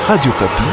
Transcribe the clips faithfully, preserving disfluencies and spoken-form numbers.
Radio Kapi.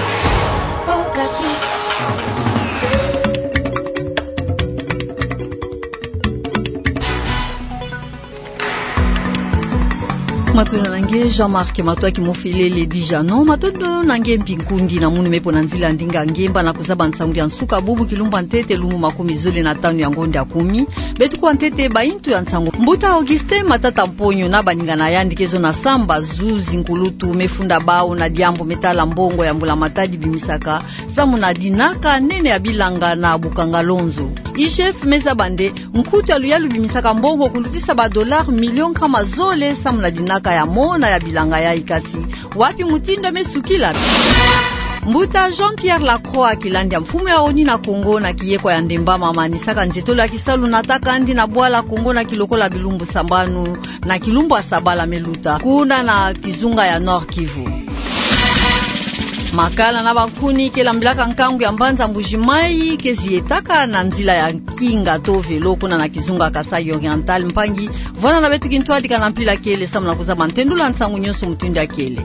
Matondo na nge Jean-Marc Matoa Kimofelele Dijano, matondo na nge mpi nkundi na munu me po na nzila ya ndinga ngemba na kuzaba nsangu ya nsuka bubu kilumbu ya ntete lumbu makumi zole na tanu ya ngonde ya kumi. Beto kwa ntete baintu ya nsangu. Mbuta Augustin Matata Mponyo na baninga na yandi ke zona samba zuzi nkulutu me funda bau na diambu me tala mbongo ya mbula matadi bimisaka samu na dinaka nene ya bilanga na Bukangalonzo. I G F me zaba nde nkutu ya luyalu bimisaka mbongo kulutisa ba dollars millions nkama zole samu na dinaka ya mona ya bilanga yayi, kasi wapi mutindu me sukila? Mbuta Jean-Pierre Lacroix Kilandi, mfumu ya ONU na Kongo, na kiyekwa ya Ndemba mamanisaka nzietolo ya kisalu na takandi na bwala Kongo na kilokola bilumbu sambanu na kilumbu ya sabala me luta, kuna na kizunga ya Nord-Kivu. Makala na bankuni ke lambilaka nkangu ya mbanza Mbuji-Mayi ke zietaka na nzila ya kinga to velo kuna na kizunga Kasaï Oriental. Mpangi, vwanda na beto kintwadi ka na mpila kele samu na kuzaba ntendula nsangu nyonso mutindu ya kele.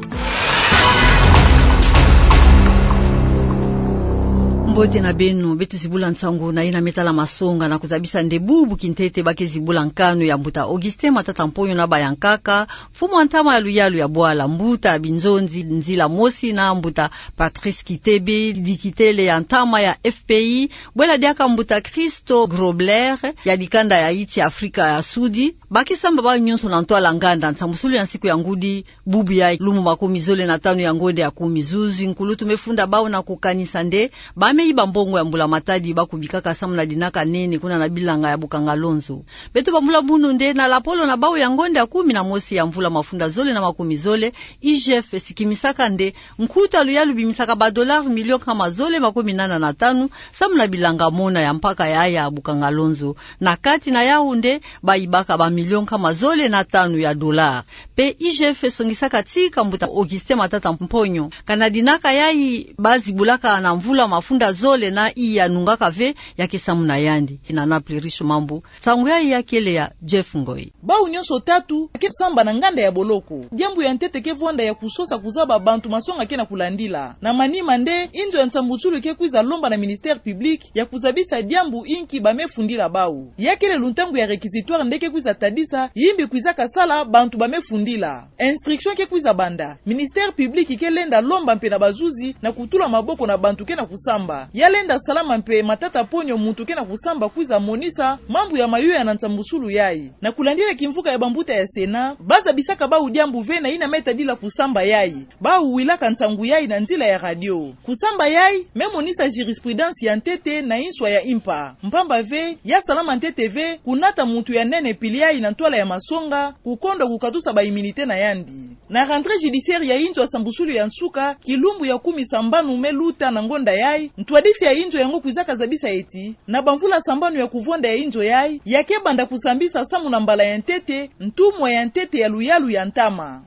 Mbote na beno, beto zibula nsangu na yina me tala masonga na kuzabisa nde bubu kintete ba ke zibula nkanu ya mbuta Augustin Matata Mponyo na bayankaka, mfumu ya ntama ya luyalu ya bwala, mbuta Binzonzi Nzila Mosi na mbuta Patrice Kitebe, dikitele ya ntama ya F P I, bwela diaka mbuta Christo Grobler ya dikanda ya insi Afrika ya Sudi. Ba ke samba bau nyonso na ntwala nganda nsambusulu ya nsiku ya ngudi bubu ya lumbu makumi zole na tanu ya ngonde ya kumi. Zuzi nkulutu me funda bau na kukanisa nde ba me iba mbongo ya mbula matadi ba kubikaka samu na dinaka nene kuna na bilanga ya Bukangalonzo. Beto bambula munu nde na lapolo na bau ya ngonde ya kumi na mosi ya mvula mafunda zole na makumi zole, I G F sikimisaka nde nkutu ya luyalu bimisaka ba dollars millions nkama zole makumi nana na tanu samu na bilanga mona ya mpaka ya, ya Bukangalonzo. Na kati na yau nde ba ibaka ba millions nkama zole na tanu ya dollars. Pe I G F songisaka tika mbuta Augustin Matata Mponyo, kana dinaka yayi ba zibulaka na mvula mafunda zole na iya nungaka ve ya ke samu na yandi. Kina na Plurish Mambu, nsangu yayi ya kele ya Jeff Ngoi. Bau nyonso tatu ke samba na nganda ya boloko. Diambu ya ntete ke vwanda ya kusosa kuzaba bantu masonga ke na kulandila. Na manima nde inzo ya nsambusulu ke kwiza lomba na ministère public ya kuzabisa diambu inki ba me fundila bau. Ya kele luntangu ya réquisitoire nde ke kwiza tadisa yimbi kwizaka sala bantu ba me fundila. Instruction ke kwiza banda. Ministère public ke lenda lomba mpe na bazuzi na kutula maboko na bantu ke na kusamba. Ya lenda salama mpe Matata Mponyo muntu ke na kusamba kwiza monisa mambu ya mayoyo na nsambusulu yayi. Na kulandila kimvuka ya bambuta ya Sénat, ba zabisaka bau diambu ve na yina me tadila kusamba yayi. Bau wilaka nsangu yayi na nzila ya radio. Kusamba yayi me monisa jurisprudence ya ntete na inswa ya impa. Mpamba ve, ya salama ntete ve kunata muntu ya nene pili yayi na ntwala ya masonga, kukondwa kukatusa ba immunité na yandi. Na rentrée judiciaire ya inzo ya nsambusulu ya nsuka, kilumbu ya kumi sambanu me luta na ngonda yayi, ntwadisi ya inzo yango kwizaka zabisa eti, na bamvula sambanu ya kuvwanda ya inzo yayi, ya ke banda kusambisa samu na mbala ya ntete ntumwa ya ntete ya luyalu ya ntama.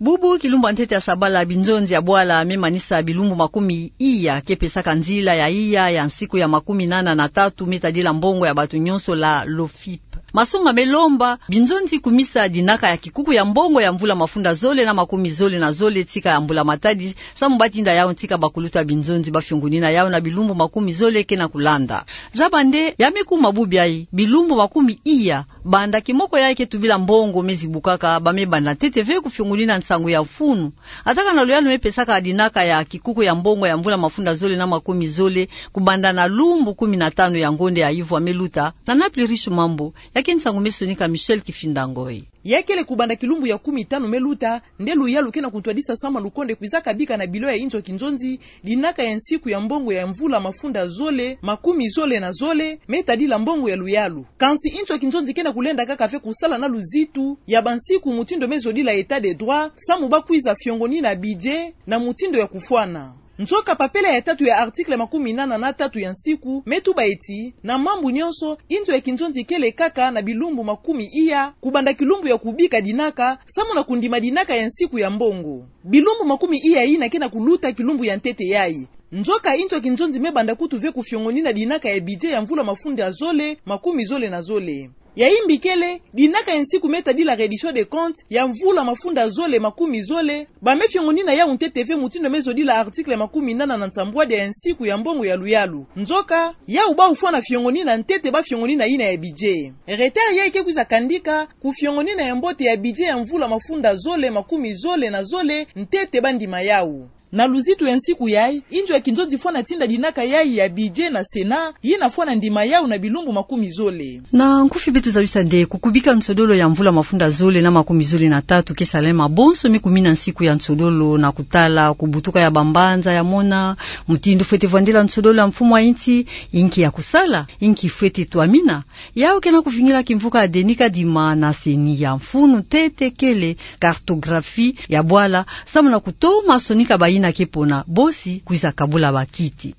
Bubu kilumbu ya ntete ya sabala, binzonzi ya bwala me manisa bilumbu makumi iya ke pesaka nzila ya iya ya nsiku ya makumi nana na tatu me tadila mbongo ya batu nyonso la l'OFIP. Masonga me lomba binzonzi kumisa dinaka ya kikuku ya mbongo ya mvula mafunda zole na makumi zole na zole tika ya mbula matadi, samu ba tinda yau tika bakulutu ya binzonzi ba fiongonina yau na bilumbu makumi zole ke na kulanda. Zaba nde ya me kuma bubu yayi, bilumbu makumi iya banda kimoko yayi ke tubila mbongo me zibukaka, ba me banda ntete ve kufiongonina nsangu ya mfunu. Ataka na luyalu me pesaka dinaka ya kikuku ya mbongo ya mvula mafunda zole na makumi zole, kubanda na lumbu kumi na tanu ya ngonda ya ivwa me luta, na na Plurish Mambu, ya ke nsangu me sonika Michel Kifinda Ngoi. Ya kele kubanda kilumbu ya kumi tanu me luta, nde luyalu ke na kuntwadisa samu lukonde kwizaka bika na bilo ya inzo ya kinzonzi dinaka ya nsiku ya mbongo ya mvula mafunda zole, makumi zole na zole, me tadila mbongo ya luyalu. Kansi inzo ya kinzonzi ke na kulenda kaka ve kusala na luzitu ya bansiku mutindu me zodila état de droit, samu ba kwiza fiongonina budget na mutindu ya kufwana. Nzoka papela ya tatu ya article makumi nana na tatu ya nsiku me tuba eti, na mambu nyonso, inzo ya kinzonzi kele kaka na bilumbu makumi iya, kubanda kilumbu ya kubika dinaka, samu na kundima dinaka ya nsiku ya mbongo. Bilumbu makumi iya yina ke na kuluta kilumbu ya ntete yayi. Nzoka inzo ya kinzonzi me banda kutu ve kufiongonina dinaka ya budget ya mvula mafunda zole, makumi zole na zole. Ya imbi kele, dinaka ya nsiku me tadila reddition des comptes ya mvula mafunda zole makumi zole, ba me fiongonina yau ntete ve mutindu me zodila article makumi nana na nsambwadia ya nsiku ya mbongo ya luyalu. Nzoka, yau bau fwana fiongonina ntete ba fiongonina yina ya budget. Retard yayi ke kwiza kandika ku fiongonina ya mbote ya budget ya mvula mafunda zole makumi zole na zole ntete ba ndima yau. Na luzitu ya nsiku yayi, inzo ya kinzonzi fwana tinda dinaka yayi ya budget na Sénat, yina fwana ndima yau na bilumbu makumi zole. Na nkufi beto zabisa nde kukubika nsodolo ya mvula mafunda zole na makumi zole na tatu ke salama bonso me kumina nsiku ya nsodolo na kutala kubutuka ya bambanza ya mona, mutindu fwete vwandila nsodolo ya mfumu a insi, inki ya kusala, inki fwete twamina. Yau kena kuvingila kimvuka ya Denis Kadima na CENI ya mfunu ntete kele cartographie ya bwala, samu na kutoma sonika bayina ke pona bosi kwiza kabula bakiti.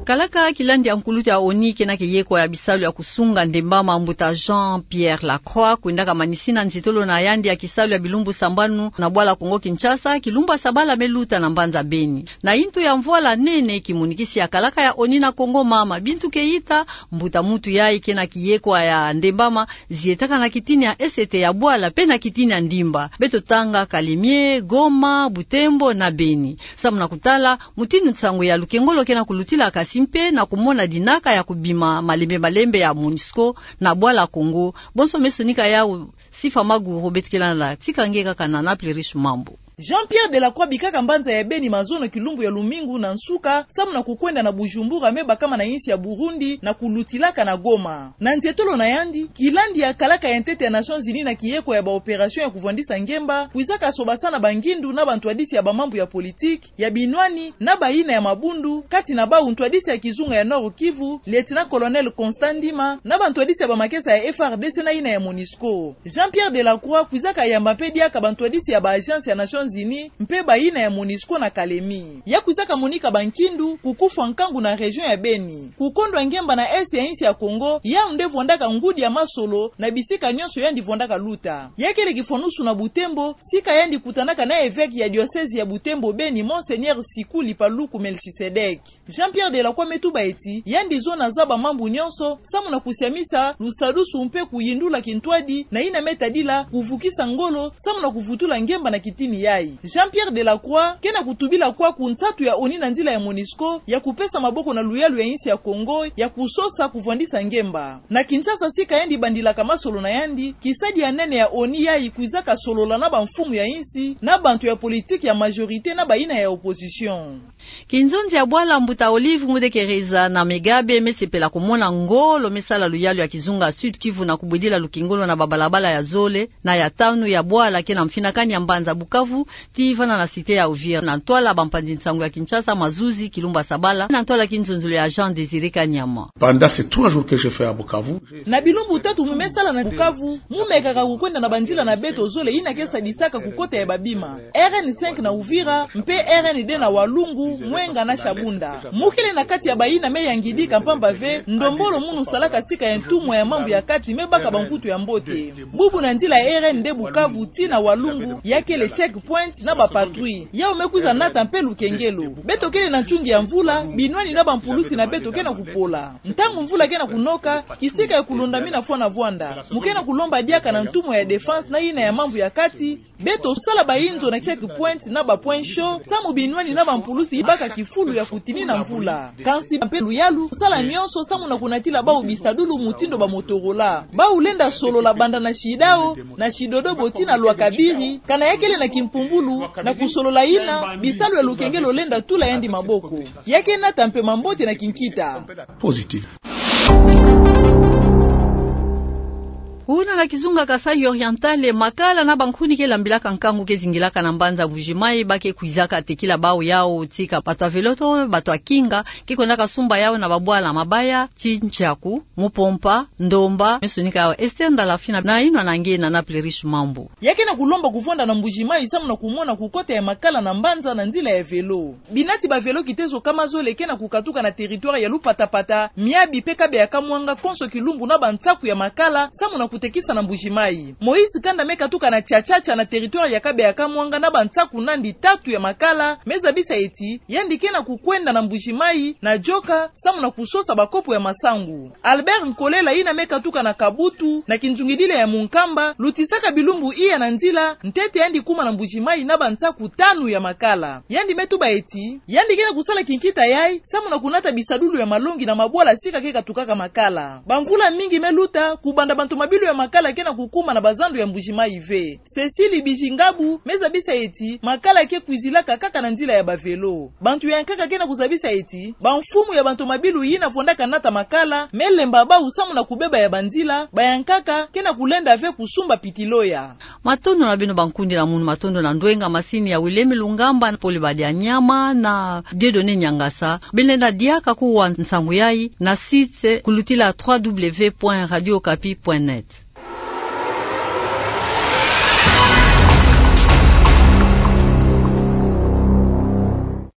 Kalaka kilandi ya nkulutu ya ONU kena ke yekwa ya bisalu ya kusunga ndembama, mbuta Jean-Pierre Lacroix, kwendaka manisina nzitolo na yandi ya kisalu ya bilumbu sambanu na bwala Kongo-Kinshasa, kilumbu ya sabala me luta na mbanza Beni. Na intu ya mvwala nene, kimonikisi ya kalaka ya ONU na Kongo mama Bintou Keita, mbuta muntu yayi kena kiyekwa ya ndembama, zietaka na kitini ya esete ya bwala mpe na kitini ya ndimba. Beto tanga Kalemie, Goma, Butembo na Beni. Samu na kutala mutindu nsangu ya lukengolo kena kulutila, kasi mpe na kumona dinaka ya kubima malembe malembe ya MONUSCO na bwala Kongo. Bonso me sonika yau Sifa Maguru. Beto kele na tika nge kaka na Naples Riche Mambu. Jean-Pierre Delacroix bikaka mbanza ya Beni mazono kilumbu ya lumingu na nsuka, samu na kukwenda na Bujumbura, me bakama na insi ya Burundi na kulutilaka na Goma. Na nzietolo na yandi, kilandi ya kalaka ya ntete ya Nations Unies na kiyekwa ya ba opération ya kuvwandisa ngemba, kwizaka sobasana bangindu na bantwadisi ya bamambu ya politique, ya binwani na bayina ya mabundu, kati na bau ntwadisi ya kizunga ya Nord-Kivu, Lieutenant-colonel Constant Ndima, na bantwadisi ya bamakesa ya FARDC na yina ya MONUSCO. Jean-Pierre Delacroix kwizaka yamba mpe diaka bantwadisi ya ba agence ya Nations Unies mpe bayina ya MONUSCO na Kalemie. Ya kwizaka monika bankindu ku kufwa nkangu na région ya Beni. Kukondwa ngemba na est ya insi ya Kongo, yau nde vwandaka ngudi ya masolo na bisika nyonso yandi vwandaka luta. Ya kele kifwanusu na Butembo, sika yandi kutanaka na évêque ya diocèse ya Butembo Beni, Monseigneur Sikuli Paluku Melchisedek. Jean-Pierre Delacroix me tuba eti, yandi zo na zaba mambu nyonso, samu na kusiamisa lusadusu mpe kuyindula kintwadi na yina me tadila kuvukisa ngolo, samu na kuvutula ngemba na kitini yayi. Jean-Pierre Delacroix kena kutubila kwaku nsatu ya ONU na nzila ya MONUSCO ya kupesa maboko na luyalu ya insi ya Kongo ya kusosa kuvwandisa ngemba. Na Kinshasa, sika yandi bandilaka masolo na yandi, kisadi ya nene ya ONU yayi kwizaka solola na bamfumu ya insi, na bantu ya politique ya majorité na bayina ya opposition. Kinzonzi ya bwala mbuta Olive Ngundekereza na Megabe me sepela kumona ngolo me sala luyalu ya kizunga Sud-Kivu na kubwidila lukengolo na babalabala ya zole na ya tanu ya bwala kena mfinakani ya mbanza Bukavu, tii vana na cité ya Uvira, na ntwala bampanzi nsangu ya Kinshasa, mazuzi, kilumbu ya sabala, na ntwala kinzonzolo ya Jean Désiré Kanyama. Pendant ces trois jours que j'ai fait à Bukavu, na bilumbu tatu mu me sala na Bukavu, mu mekaka kukwenda na banzila na beto zole yina ke sadisaka kukota ya babima. R N cinq na Uvira, mpe R N deux na Walungu, Mwenga na Shabunda. Mu kele na kati ya bayina me yangidika mpamba ve ndombolo munu salaka sika ya ntumwa ya mambu ya kati me baka bamvutu ya mbote. Bubu na nzila ya R N deux Bukavu tii na Walungu, ya kele checkpoint na bapatrouille. Yau me kwiza nata mpe lukengelo. Beto kele na nchungi ya mvula, binwani na bampulusi na beto kena kupola. Ntangu mvula kena kunoka, kisika ya kulonda mina fwana vwanda. Mu kena kulomba diaka na ntumwa ya défense na yina ya mambu ya kati, beto sala bayinzo na checkpoint na ba point chaud, samu binwani na bampulusi baka kifulu ya kutinina mvula. Kansi mpe luyalu, sala nyonso samu na kunatila bau bisadulu mutindu ba Motorola. Bau lenda solola banda na Shidao, na Shidodobo tii na Lwakabiri, kana ya kele na kimpumbulu, na kusolola yina bisalu ya lukengelo lenda tula yandi maboko. Ya ke nata mpe mambote na kinkita. Positif. Kuna na kizunga Kasaï Oriental, makala na bankuni ke lambilaka nkangu ke zingilaka na mbanza Mbuji-Mayi, ba ke kwizaka tekila bau yau tii ka bato ya vélo to bato ya kinga ke kwendaka sumba yau na babwala Mabaya tii Ntshaku, Mupompa, Ndomba. Me sonika yau Esther Ndala Fina na inwa na nge na Naples Riche Mambu. Ya ke na kulomba kuvwanda na Mbuji-Mayi samu na kumona kukota ya makala na mbanza na nzila ya vélo. Binati ba vélo kitezo kama zole ke na kukatuka na territoire ya Lupatapata, Miabi mpe Kabeya-Kamwanga konso kilumbu na bansaku ya makala samu na kutekisa na Mbuji-Mayi. Moïse Kanda me katuka na Tshatshatsa na territoire ya Kabeya-Kamwanga na bansaku nandi tatu ya makala me zabisa eti yandi ke na kukwenda na Mbuji-Mayi na Dioka samu na kusosa bakopo ya masangu. Albert Nkolela, yina me katuka na Kabutu na kinzungidila ya Munkamba, lutisaka bilumbu iya na nzila ntete yandi kuma na Mbuji-Mayi na bansaku tanu ya makala. Yandi me tuba eti yandi ke na kusala kinkita yayi samu na kunata bisadulu ya malongi na mabwala sika ke katukaka makala. Bamvula mingi me luta kubanda bantomabilu ya makala ke na kukuma na bazandu ya Mbuji-Mayi ve. Cécile Bijingabu me zabisa eti makala ke kwizilaka kaka na nzila ya bavelo. Bantu ya nkaka ke na kuzabisa eti bamfumu ya bantomabilu yina fondaka nata makala me lemba bau samu na kubeba ya banzila, ba ya nkaka ke na kulenda ve kusumba pitiloya. Matondo na beno bankundi na munu matondo na ndwenga masini ya Wilemi Lungamba, Poli Badianyama na Dieudonné Niangasa. Beno lenda diaka kuwa nsangu yayi na site kulutila trois W point radio okapi point net.